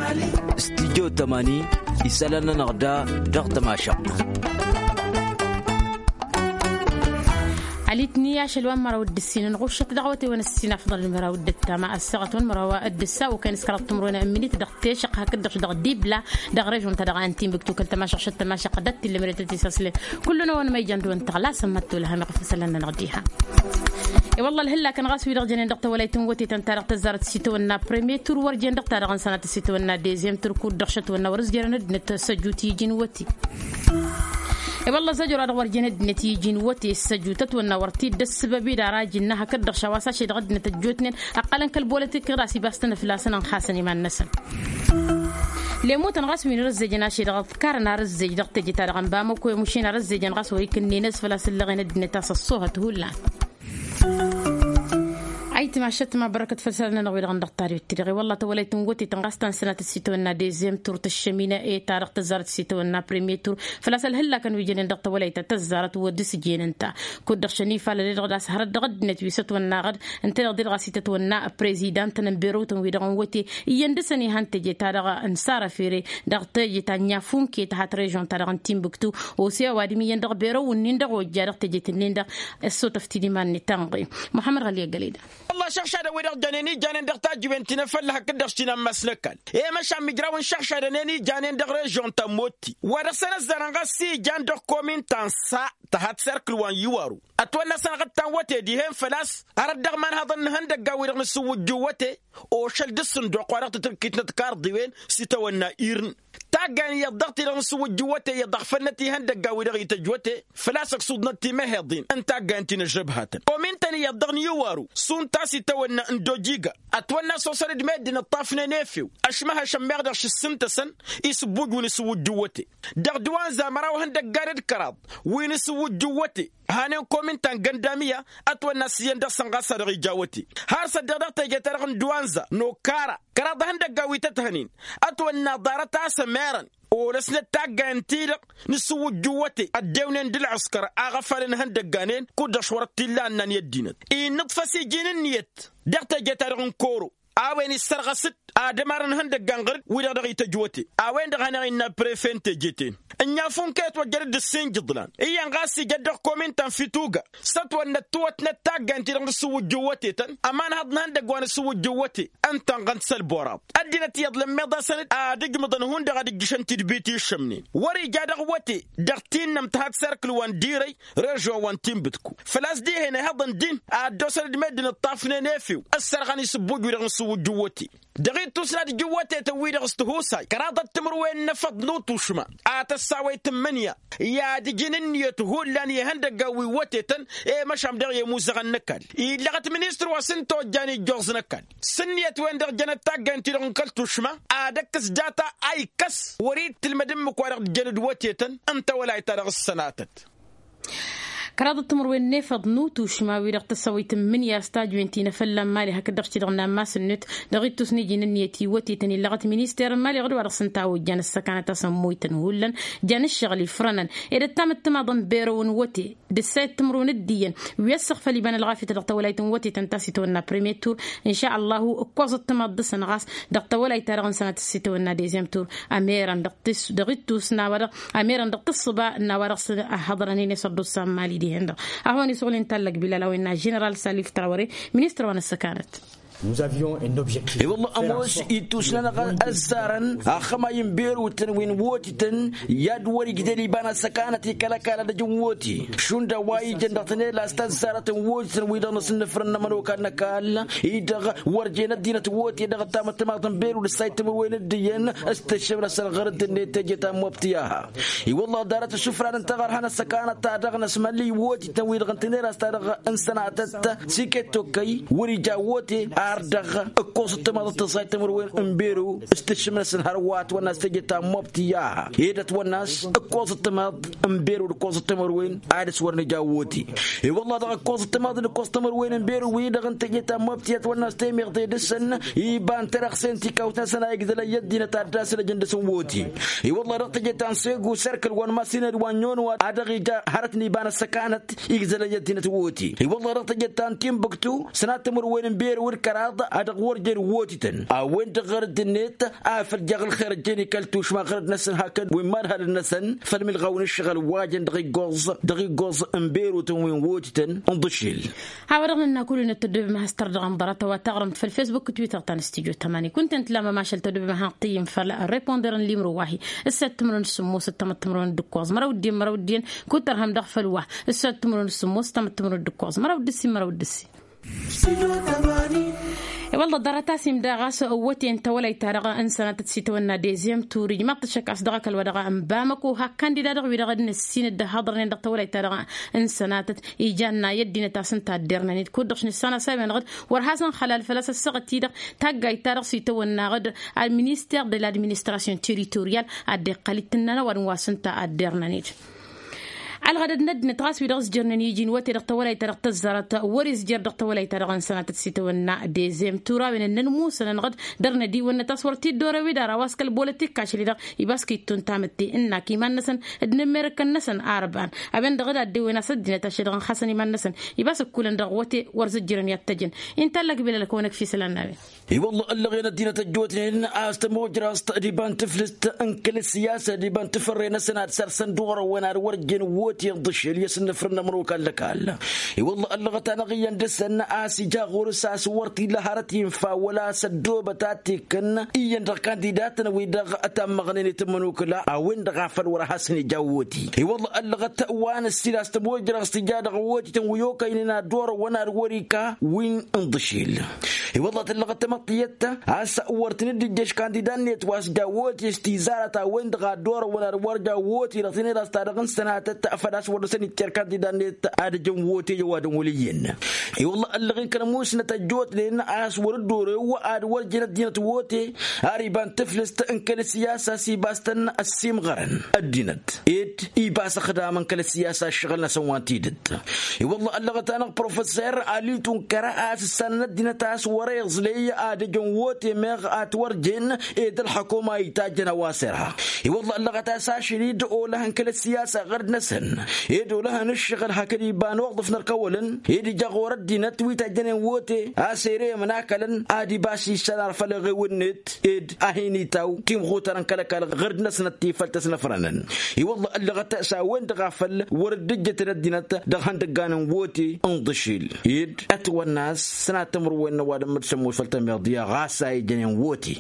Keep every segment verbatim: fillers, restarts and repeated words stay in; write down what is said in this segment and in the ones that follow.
Studyo tămani isălan-nănăɣ da dăɣ-tămašăɣt. Alitni ašăl wa n-măraw d-ǝssinăn ɣušăt dăɣ-awătewăn ǝssin afḍăl n-măraw d-ǝttama ăssaɣăt wa n-măraw d-ǝssa okăyăn s-kăraḍ timǝrwen n-minit dăɣ-tešăɣ hakd-dăɣ dăɣ-dibla dăɣ-režon-ta-dăɣ a n-timbuktu kăl-tămašăɣ šăt tămašăɣ dăɣ-t-illa măret ad-t-isaslen. Kullu-năwăn ma ijan dăɣ-wăn tăɣlasăn mătto lăhăm iɣăf isălan-nănăɣ diha. I-wălla ălhǝllakăn ɣas wi-dăɣ jănen dăɣ-tawălayt n-wătetăn-ta-dăɣ tăzzarăt s-itawănna premier tur wăr jen dăɣ-ta-dăɣ n-sănatăt s-itawănna dezem tur kud-dăɣ šătwănna wăr-s jărăn ăddinăt săjut iji n-wăte. I-wălla zăjora-dăɣ wăr jen ăddinăt iji n-wăte săjut ătwănna wăr t-dd-ăssǝbăb-i d-ara iji n-năhăk dd-dăɣ šawa s-ašăl-i-dăɣ ăddinăt ăjjootnen ăqqălăn kăl-bolătik ɣas ibastăn flasăn ănxasăn iman-năsăn. Lemutăn ɣas wi n-arǝzzejăn ašăl-i-dăɣ ăḍkarăn arǝzzej dăɣ-teje-ta-dăɣ n-bamăko i-mušin arǝzzejăn ɣas wa ikǝnnen ăsfăl a-s ǝllăɣen ăddinăt a-s ăṣṣoohăt hullan. Ayǝtma ašăt ma bărăkăt făll-isălan-nănăɣ wi-dăɣ n-dăɣ-tariwet tidăɣ i-wălla tawălayt n-wătetăn ɣas ta n-sănatăt s-itawănna dezem tur tǝššămină e-ta-dăɣ tăzzarăt s-itawănna premier tur făl-a-s ălhǝllakăn wi jănen dăɣ-tawălayt ta tăzzarăt wăr dăr-s ijenen-ta. Kud-dăɣ šănifalăl-e-dăɣ d-a-s hărăt dăɣ-ăddinăt wi s-ătwănnaɣăd ǝnta-dăɣ di-dăɣ a-s itătwănna prezidant n-ănbirăwtăn-wi-dăɣ n-wăte iyyăn dăr-săn ihăn teje-ta-dăɣ n-sara fere dăɣ-teje ta n-inyafun ke tăhat režon-ta-dăɣ n-timbuktu. Ose ăwadǝm iyyăn dăɣ-berăw-nin-dăɣ ojja dăɣ-tejet-nin-dăɣ ăssotăf-t-dd iman-net tanɣe. Muḥămmăd ɣăli ăggăleda. Wălla-š ăɣšadăn wi-dăɣ jănen ijanen dăɣ-tajǝwen ti n-afălla hakd-dăɣ s-tinammas n-ăkall i-măšan mijrawăn šăɣšadăn-en ijanen dăɣ-režon ta n-motti wa dăɣ-săn ăzzarăn ɣas s-ijan dăɣ-komin ta n-sa tăhat serkǝl wa n-iwaru. Ătwănna sănɣăt ta n-wăte dihen făl-a-s hărăt dăɣ-imanhăḍăn n-ihăndăggan-wi-dăɣ n-asǝwwǝjju n-wăte ošăl d-asǝnduq wa dăɣ-titǝkkit n-ăḍkarḍiwen s-itawănna irǝn. Taggayăn iyyăḍ dăɣ-ti-dăɣ n-asǝwwǝjju n-wăte iyyăḍ ăɣfălnăt ihăndăggan-wi-dăɣ ităjj wăte făl-a-s ăksuḍnăt timăheḍin n-taggayăn ti n-ăžžăbhatăn. Omin-tăn iyyăḍ dăɣ-niwăru s-unta a-s itawănna n-dojiga ătwănna a-s osăr-dd meddǝn ǝṭṭafnen efew ăšmăhăšăn meɣ dăɣ-šǝssǝntăsăn isǝbbuj wi n-asǝwwǝjju n-wăte dăɣ-dd-wa n-zamăraw ihăndăggan d-kăraḍ wi n-asǝwwǝjju n-wăte. Hanen komin ta n-găndamiya ătwănna a-s iyyăn dăɣ-săn ɣas a dăɣ-ija wăte har s-ăddeɣ dăɣ-teje-ta-dăɣ n-duwanza n-okara kăraḍ ihăndăggan wi tăt-hănen ătwănna ḍarăt a-s ămerăn olăsnăt taggayăn-ti-dăɣ n-asǝwwǝjju n-wăte ăddewnen d-ǝlɣǝskăr a ɣăfalăn ihăndăggan-en kud-dăɣ šwărăt t-illa ănnan i-ăddinăt innǝḍfăs iji n-ǝnniyăt dăɣ-teje-ta-dăɣ n-koro a-wen issărɣăs-dd ad-ămarăn ihăndăggan ɣǝr-dd wi-dăɣ dăɣ-ităjj wăte. A-wen-dăɣ hanăɣ-innă prefe n-teje-ten ǝnnyafun kăy-ătwăjjăr-dd ǝssin jǝḍlan iyyăn ɣas ija ăddoɣ komin ta n-fituga s-ătwănnăt tiwătnăt taggayăn-ti-dăɣ n-asǝwwǝjju n-wăte-tăn ămanhăḍ n-ihăndăgg wa n-asǝwwǝjju n-wăte ǝntănɣăn-t s-ălboraḍ. Ăddinăt iyyăḍ lămmeḍ-asăn-dd ad-ǝjmǝḍăn hundăɣ ad-ǝjjǝšăn tidbit i-iššămnen wăr-ija dăɣ-wăte dăɣ-tinnăm tăhat serkǝl wa n-dirăy režon wa n-tinbǝtku făl-a-s dihen ihăḍăn din ad-dd-osăn-dd meddǝn ǝṭṭafnen efew ăssărɣăn isǝbbuj-wi-dăɣ n-asǝwwǝjju n-wăte. Dăɣ-ittus n-ad-ǝjǝwwătetăn-wi-dăɣ s-tihusay kăraḍăt timǝrwen n-efăḍ n-utušma a tăssawăyt n-imǝnya i-ad-ǝjǝn ǝnniyăt hullan i-ihăndăggan wi n-wătetăn i-măšan dăɣ-i ămuzăɣăn n-ăkall. Illăɣăt ministăr wa s-ǝnta ojjan ijjoẓ n-ăkall s-ǝnniyăt-wen-dăɣ jănăt taggayăn-ti-dăɣ n-kăl-tušma ad-ăkkǝs data a ikkăs wăr-ittǝlmăd ǝmmǝk-wa-dăɣ dd-jăn d-wătetăn n-tawălayt-ta-dăɣ s-sănatăt. Kăraḍăt timǝrwen n-efăḍ n-utušma wi-dăɣ tăssawăyt n-imǝnya s-tajwen ti n-efălla n-imali hakd-dăɣ ti-dăɣ n-ammas-net dăɣ-ittus n-iji n-ǝnniyăt i-wătetăn illăɣăt minister n-imali ɣǝd wa dăɣ-s ǝnta a ojjan ăssăkanăt a-s ămmoytăn hullan jan ǝššăɣǝl ifrănăn ed ăttam ăttămaḍăn berăw n-wăte d-ǝssayăt timǝrwen d-iyyăn wi ăssăɣfăl iban ălɣafyăt dăɣ-tawălayt n-wătetăn ta s-itawănna premier tur. Inša ăllahu ǝkkoẓ ăttămaḍ dăɣ-săn ɣas dăɣ-tawălayt-ta-dăɣ n-sănatăt s-itawănna dezem tur ămerăn dăɣ-ittus n-a-wa dăɣ-ămerăn dăɣ-tǝssǝba n-a-wa dăɣ-s ăhhăḍrănen i-sărdusa n-imali dihen-dăɣ. Ad-hawăn-isuɣǝl inta ăllăg bilal a-wa innă ženeral salif trawăre ministăr wa n-ăssăkanăt. I-wălla ămoos ittus-nănăɣ ăzzarăn axămay n-berutăn wi n-wotităn i-ad-wăr-igdel iba n-ăssăkanăt i-kăl-ăkall ad-ăj n-woti šund a-wa ijăn dăɣ-tănela s-tăzzarăt n-wotităn-wi-dăɣ n-asǝnnǝfrăn n-ămănokal n-ăkall-i-dăɣ wăr jen ăddinăt woti dăɣ-ăttam ăttămaḍ n-berut ǝssay timǝrwen d-iyyăn s-tǝššǝm-năsăn ɣur-dd-net teje ta n-mobtiyaha. I-wălla ḍarăt isǝfran n-taɣărha n-ăssăkanăt-ta-dăɣ n-asmălli wotităn-wi-dăɣ n-tănera-s-ta-dăɣ n-sănatăt s-iket tokkăy wăr-ija wote ar dăɣ-ǝkkoẓ ăttămaḍăt tǝẓẓay timǝrwen n-beru s-tǝššǝm-năsăn hărwa ătwănna s-teje ta n-mobtiyaha ed ătwănna s-ǝkkoẓ ăttămaḍ n-beru d-ǝkkoẓ timǝrwen ad-dăɣ-s wăr nǝja wote. I-wălla-ɣ ǝkkoẓ ăttămaḍ d-ǝkkoẓ timǝrwen n-beru-wi-dăɣ n-teje ta n-mobti ătwănna s-temeɣte dăɣ-săn iba n-terăɣse n-tikawt-năsăn a igdălăn i-ăddinăt ad-dd-asăn ăjăn dăɣ-săn woti. I-wălla-ɣ dăɣ-teje ta n-segu serkǝl wa n-masinăd wa n-yonwa a dăɣ-ija hărăt n-iba n-ăssăkanăt igdălăn i-ăddinăt woti. I-wălla-ɣ dăɣ-teje ta n-tinbuktu sănat timǝrwen n-beru d-kăra Ad-dăɣ wăr jen wotităn a-wen-dăɣ ɣărăt-net afăl jaɣ ălxer ăjjeen ikal tušma ɣărăt-năsăn hakd wen madhalăn-năsăn făll-milɣaw n-ǝššăɣǝl wa jăn dăɣ-iggoẓ dăɣ-iggoẓ n-berutăn wen wotităn. N-ḍǝšil. A-wa-dăɣ nǝnna kull-wi n-ăttăddobem a has-tărdăɣăm ḍarăt a-wa taɣrǝmt făll-fesbuk d-twitter ta n-stijo tămani kunta ǝntǝla mămašăl tăddobem a hanăɣ-tǝyyǝm făll-reponder n-limru wa-hi. Ǝssa d-timǝrwen d-sǝmmos d-tamăt timǝrwen d-ǝkkoẓ măraw d-iyyăn măraw d-iyyăn. Kud-tărhăm dăɣ-făll-wa ǝssa d-timǝrwen d-sǝmmos d-tamăt timǝrwen d-ǝkkoẓ măraw d-ǝssin măraw d-ǝssin. I-wălla ḍarăt a-s imda ɣas ăwwăten tawălayt-ta-dăɣ n-sănatăt s-itawănna dezem tur ijmaḍ-t ăššăk a-s dăɣ-ăkall wa dăɣ-n bamăko hak kandida-dăɣ wi-dăɣ dd-năssin dd-ăhhăḍrănen dăɣ-tawălayt-ta-dăɣ n-sănatăt. Ija ănnay ăddinăt a-s ǝnta a dd-irnăn-dd kud-dăɣ š-nǝssan a-s a-wen-dăɣ d-wăr has-ănxălal făl-a-s ăssaɣăt-i-dăɣ taggayt-ta-dăɣ s-itawănna ɣǝd administer de l-administration territorial. Ad-dd-iqqăl ittǝnnan ăwadǝm wa s-ǝnta a dd-irnăn-dd. Ălɣădăd n-ăddinăt ɣas wi-dăɣ ǝzjărnen iji n-wăte dăɣ-tawălayt-ta-dăɣ tăzzarăt wăr-izjăr dăɣ-tawălayt-ta-dăɣ n-sănatăt s-itawănna dezem tura a-wen ǝnnăn musănăn ɣǝd dăr-nădiwănnăt a-s wăr t-dd-orew-dd ara wa s-kăl-bolăt ikkašăl-i-dăɣ. Iba s-kittun tamǝtte ǝnnak iman-năsăn d-inǝmmerǝkăn-năsăn arbăɣăn a-wen-dăɣ d-ad-dewwen a-s ăddinăt ašăl-i-dăɣ ǝnxasăn iman-năsăn. Iba s-ǝkkulăn dăɣ-wăte wăr zǝjjărăn i-ad-t-ăjăn. Inta ăllăk bilal kăwănăk fi isălan n-a-wen. I-wălla ăllăɣen ăddinăt ăjjootnen a-s tămojrast d-iba n-tǝflǝst n-kăl-ăssiyasăd iba n-tǝfărre-năsăn ad-săr-săn d-orăwăn ad-wăr jen wote n-ḍǝšel i-asǝnnǝfrǝn n-ămrokal lăkall. I-wălla ăllăɣăt-anăɣ iyyăn dăr-săn a-s ija ɣur-s a-s wăr t-illa hărăt infa wăla a-s ăddoobăt a t-ikkăn iyyăn dăɣ-kandidatăn-wi-dăɣ ătammăɣnen i-tămănokla a-wen-dăɣ a făl wăr-hasăn-ija wote. I-wălla ăllăɣăt wa n-ăssiil a-s tămojrast ija dăɣ-wotităn wi okăynen ad-orăwăn ad-wăr-ika wi n-ḍǝšel. I-wălla tǝllăɣăt tamăḍt tiyyăt ta a-s wăr tăn-dd-ijjăš kandidan-net wa s-ja wote s-tizarăt a-wen-dăɣ a dd-orăwăn ad-wăr ja wote dăɣ-tinera s-ta-dăɣ n-sănatăt făl-a-s wăr dăr-săn itter kandidan-net ad-ǝjăn wote i-ăwadǝm wăl' iyyăn. I-wălla ăllăɣ-in kăl-ămuusnăt ăjjootnen a-s wăr dd-orew ad-wăr jen ăddinăt wote ar iba n-tǝflǝst n-kăl-ăssiyasa s-ibas-tăn ăssiimɣărăn ăddinăt ed ibas ăxdamăn kăl-ăssiyasa ǝššăɣǝl-năsăn wa n-tidǝt. I-wălla ăllăɣăt-anăɣ professer alitu n-kăra a-s ǝssanăn ăddinăt a-s wăr-e iẓley ad-ăjăn wote meɣ ad-t-wăr jen ed ălxăkoma itajjăn a-wa s-irha. I-wălla ăllăɣăt a-s ašăl-i d-olăhăn kăl-ăssiyasa ɣărd-năsăn ed olăhăn ǝššăɣǝl hakd iba n-oḍǝf n-ărkăwălăn ed ija ɣur-ăddinăt wi tajjănen wote a-s ere imnakălăn ad-ibas iššan ar făll-eɣewăn-net ed a hin-itaw timɣutarăn kăl-ăkall ɣărd-năsnăt ti făll-tăsnăfrănăn. I-wălla ăllăɣăt s-a-wen-dăɣ a făl wăr dd-ǝjjătăn ăddinăt dăɣ-ihăndăggan n-wote n-iḍǝšil ed ătwănna a-s sănatămrǝwen n-ăwadǝm d-sămmos făll-tămiḍya ɣas a ijănen wote.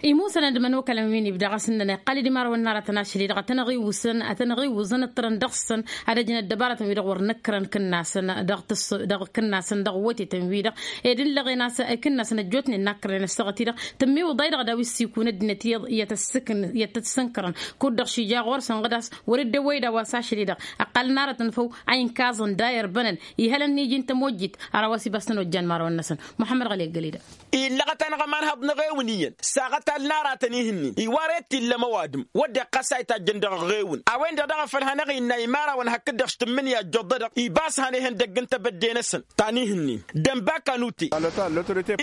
Imusănăn d-imănokălăn wi n-ibda ɣas ǝnnăn iqqăl-dd imărawăn n-aratăn ašăl-i-dăɣ ad-tăn-ăɣiwǝsăn ad-tăn-ăɣiwǝẓăn ǝṭṭărăn dăɣ-săn ad-ăjǝn ăddăbarătăn-wi-dăɣ wăr nǝkkărăn kǝnnasăn dăɣ-tǝss dăɣ-kǝnnasăn dăɣ-wotităn-wi-dăɣ ed ǝllăɣen a-s ikǝnnasăn ăjjootnen n-akkărnen ăssaɣăt-i-dăɣ tǝmmiwǝḍay-dăɣ daw-issikun ăddinăt iyyăḍ iyyăt ăssǝkǝn iyyăt t-sǝnkărăn kud-dăɣ šija ɣur-săn ɣǝd a-s wăr-dd-ăwwăy d-a-wa s-ašăl-i-dăɣ ăqqalăn aratăn făw a inkaẓăn da irbănăn ihălăn n-iji n-tămojjit. Ar a-wa s-ibas tăn-ojjan imărawăn-năsăn muḥămmăd ɣăli ăggăled. Illăɣăt-anăɣ ămanhăḍ n-eɣewǝn iyyăn s-aɣătal n-aratăn ihǝnnin iwa ret illăm ăwadǝm wădden ɣas a itajjăn dăɣ-eɣewǝn a-wen-dăɣ daɣ a făl hanăɣ-innă imărawăn hakd-dăɣ s-tǝmmǝnǝya ăjjoḍădăɣ ibas hanăyhăn dăgg n-tebădde-năsăn ta n-ihǝnnin. Dănbaka n-ute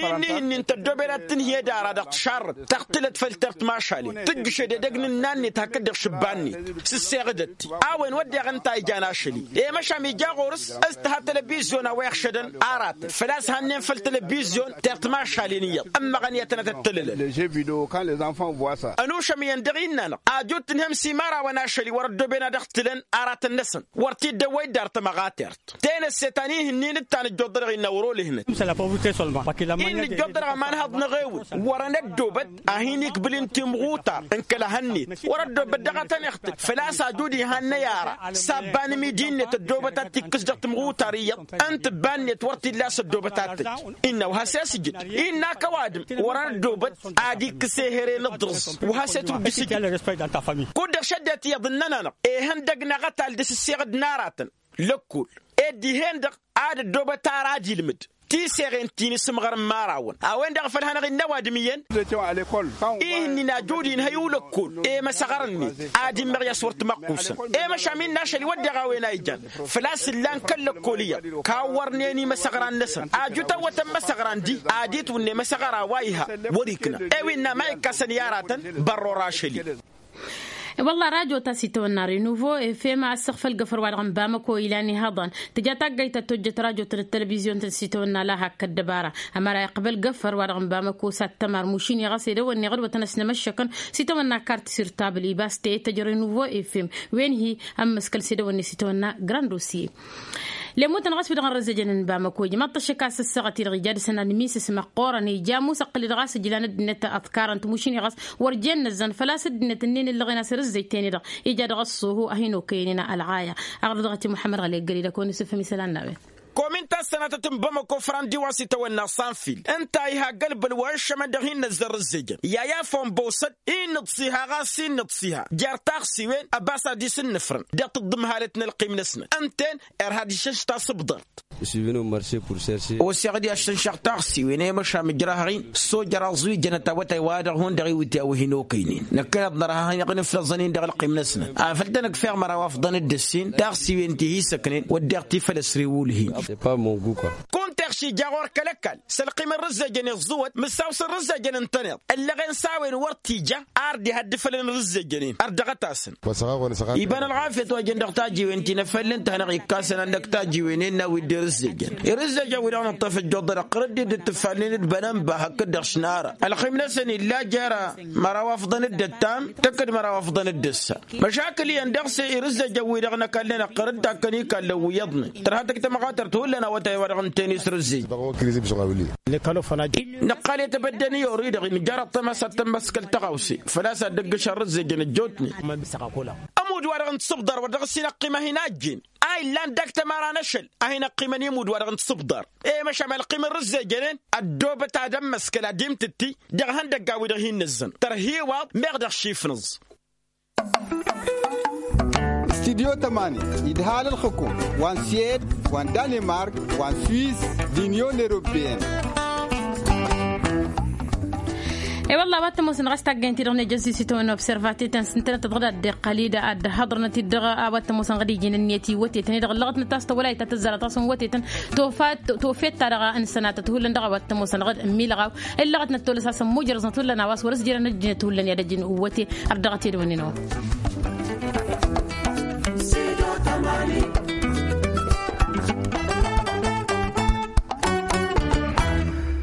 i-ǝnni ihǝnnin tăddoben ad-tǝnhǝyăd ara dăɣ-tišarrăt tăɣtǝlăt făll-tert mašalen tǝjjǝšed edăgg n-ǝnna-net hakd-dăɣ šǝbba-net s-ǝsseɣǝdăt-ti. A-wen wădden ǝnta a ijan ašăl-i i-măšan ija ɣur-s s-tǝha telebizyon a-wa iɣšădăn aratăn făl-a-s hannen făll-telebizyon tert mašalen iyyăḍ ǝmmăɣăn i-ad-tănăt-ăttălălăn. Ănušămyăn dăɣ-innă-năɣ ajut tǝnhăm s-imărawăn ašăl-i wăr-ăddooben ad-ăɣtǝlăn aratăn-năsăn wăr t-dd-ăwwăy dd-ar tămăɣa tert. Tenăsse ta n-ihǝnnin d-ta n-ǝjjuḍădăɣ innă wăr-olǝhnăt. Innă ǝjjuḍădăɣ ămanhăḍ n-eɣewǝn wăr-ănăddobăt a hin-ikbǝl-in timɣutar n-kăla hănnet wăr-ăddoobăt dăɣ-ad-tăn-iɣtǝl făl-a-s ajud ihannăy ara s-abba n-imidi-net ăddoobăt ad-t-ikkǝs dăɣ-timɣutar iyyăḍ n-tǝbba-net wăr t-illa a-s ăddoobăt ad-tăjj. Innă wa has-e-s ǝjǝd innă a-k ăwadǝm wăr-ănăddobăt ad-ikkǝs ehere n-aḍrǝẓ wa has-e-t dd-isǝjǝd. Kud-dăɣ šăddet iyyăḍ ǝnnăn-anăɣ ihăndăgg n-aɣătal d-asǝsseɣ d-inaratăn lăkkol ed dihen-dăɣ ad-ăddoobăt ara ad-ilmǝd tiseɣen ti n-isǝmɣărăn imărawăn a-wen-dăɣ a făl hanăɣ-innă ăwadǝm iyyăn. Ihǝnnin ajud inhăy ulăkkol i-imăsăɣrăn-net ad-immăɣ i-a-s wăr t-măqqusăn i-măšan mi n-ašăl iwăddeɣ a-wen a ijan făl-a-s ǝllan kăl-lăkkol iyyăḍ kawwărnen imăsăɣran-năsăn ajut ăwwătăn imăsăɣran-di ad-itwǝnna imăsăɣra wa iha wăr-ikna i-wi ǝnna ma ikkasăn i-aratăn. Bărror ašăl-i. Wălla rajo ta s-itawănna renuvo efem a ăssăɣfăl găfăr wa dăɣ-n bamăko ilan ihăḍăn tǝja taggayt ta tojjăt rajo-tăn d-televizyon-tăn s-itawănna la hak ăddăbara. Ămăra iqbăl găfăr wa dăɣ-n bamăko s-ad-tămar mušin i-ɣas edăwănneɣ d-wătăn ăsnămăššăkăn s-itawănna kartisir tabl ibas teyăt tăjrăy nuvo efem wen-hi ămmăskăl s-edăwănne s-itawănna grand osiye. Lemutăn ɣas wi-dăɣ n-răzzejăn n-bamăko ijmaḍ-t ăššăk a-s ăssaɣăt-i-dăɣ ija dăr-săn ad-misǝsmăɣ ɣur-ănn ija amusăqqǝl-i-dăɣ a-s ǝjlan ăddinăt ăḍkarăn-t mušin-i ɣas wăr jen nǝzzăn făl-a-s ăddinăt ǝnnin ǝllăɣen a-s rǝzzejten-i-dăɣ ija dăɣ-ăṣṣuhu a hin-okăyănen ălɣaya. Aɣrǝd dăɣ-t i-muḥămmăd ɣăli ăggări d-ăkăwăn-isǝfhǝm isălan n-a-wen. Komin ta s-sănatăt n-bamăko frandi wa s-itawănna sanfil ǝnta a iha gălbăl wa ǝššămăn dăɣ-hin-năzzăn rǝzzejăn i-a i-afăwăn băwsăd. Innǝḍsiha ɣas innǝḍsiha jer-taɣsiwen ăbas ad-isǝnnǝfrăn deɣ tǝḍḍǝmhalăt n-ălqim-năsnăt ǝnta-en. Irha d-išǝšš tasǝbḍart. Oseɣ-dd i-ad-šănšăɣ taɣsiwen i-măšan mǝjrahăɣ-in s-ojăr aẓwijănăt awătay-wa-dăɣ hundăɣ iwǝtya wi hin-okăynen năkkăneḍ nărha hanăɣ-nǝflăẓăn-in dăɣ-ălqim-năsnăt afăl tăn-ǝkfeɣ măraw afḍăn d-ǝssin taɣsiwen ti hi-săknen wădden ti făl ăsrewul-hin. Kunta iɣš ija ɣur-kăl-ăkall s-ălqim n-rǝzzejăn iẓẓǝwăt mǝssaw s-rǝzzejăn ǝntăneḍ ǝllăɣen s-a-wen wăr t-ija. Ar dd-ihădd ifălăn rǝzzejăn-in ărdăɣăt-asăn. Iba n-ălɣafyăt wa jăn dăɣ-tajiwen ti n-efăll n-tăhnăɣ ikka a-s ănăn dăɣ-tajiwen innă wi dd-irǝzzejăn irǝzzejăn wi-dăɣ nǝṭṭăf ăjjoḍăr ăqqărăd-dd d-tǝffalnen d-bănănba hakd-dăɣ šinara ălximnăsăn illa jer-măraw afḍăn d-ăttam tăkk-dd măraw afḍăn d-ăssa. Măšakǝl iyyăn dăɣ-s irǝzzejăn wi-dăɣ n-ăkall-nen ăqqărăd takkăn ikallăn wi iyyăḍnen tărha tăkk tamɣatărt hullan awătay wa dăɣ-ǝnta-en isrǝzzej. Năqqal i-tebădde n-iyor-i-dăɣ imjăr ăṭṭăma s-ad-tămmăskăl tăɣawse făl-a-s ad-dd-ǝggǝšăn rǝzzejăn ăjjootnen. Ămudd-wa-dăɣ n-tisǝbḍar wa dăɣ-s hin-ăqqim a hin-ajjen a illan dăɣ-tămăra n-ašăl a hin-ăqqimăn i-imudd-wa-dăɣ n-tisǝbḍar. I-măšan ălqim n-rǝzzejănen ăddoobăt ad-ămmăskăl ad-imtǝtti dăɣ-ihăndăgga-wi-dăɣ hin-nǝzzăn tărhiwaḍ meɣ dăɣ-šifnǝẓ. Studyo tămani idha alălxǝkum wa n-suwed wa n-danimark wa n-swiss d-inyon europeyăn. E-wălla a-wa t-ămoosăn ɣas taggăyăn-ti-dăɣ nejăzzi s-itawănna observatetăn s-ǝntănăt tăḍɣǝd ad-dd-iqqăl-dd ad-dd-hăḍrănăt-dd dăɣ-a-wa t-ămoosăn ɣad iji n-ǝnniyăt iwwătetăn-i-dăɣ ǝllăɣătnăt a-s tawălayt ta tǝzzarăt ɣas n-iwwătetăn. Tofet-ta-dăɣ n-sănatăt hullan dăɣ-a-wa t-ămoosăn ɣad ǝmmilăɣaw ǝllăɣătnăt tolăs a-s ămmujrăẓnăt hullan a-wa s-wăr-ăsjărăn ăddinăt hullan i-ad-ăjjǝn iwwăte. Ărdăɣăt edăwănnin a-wa.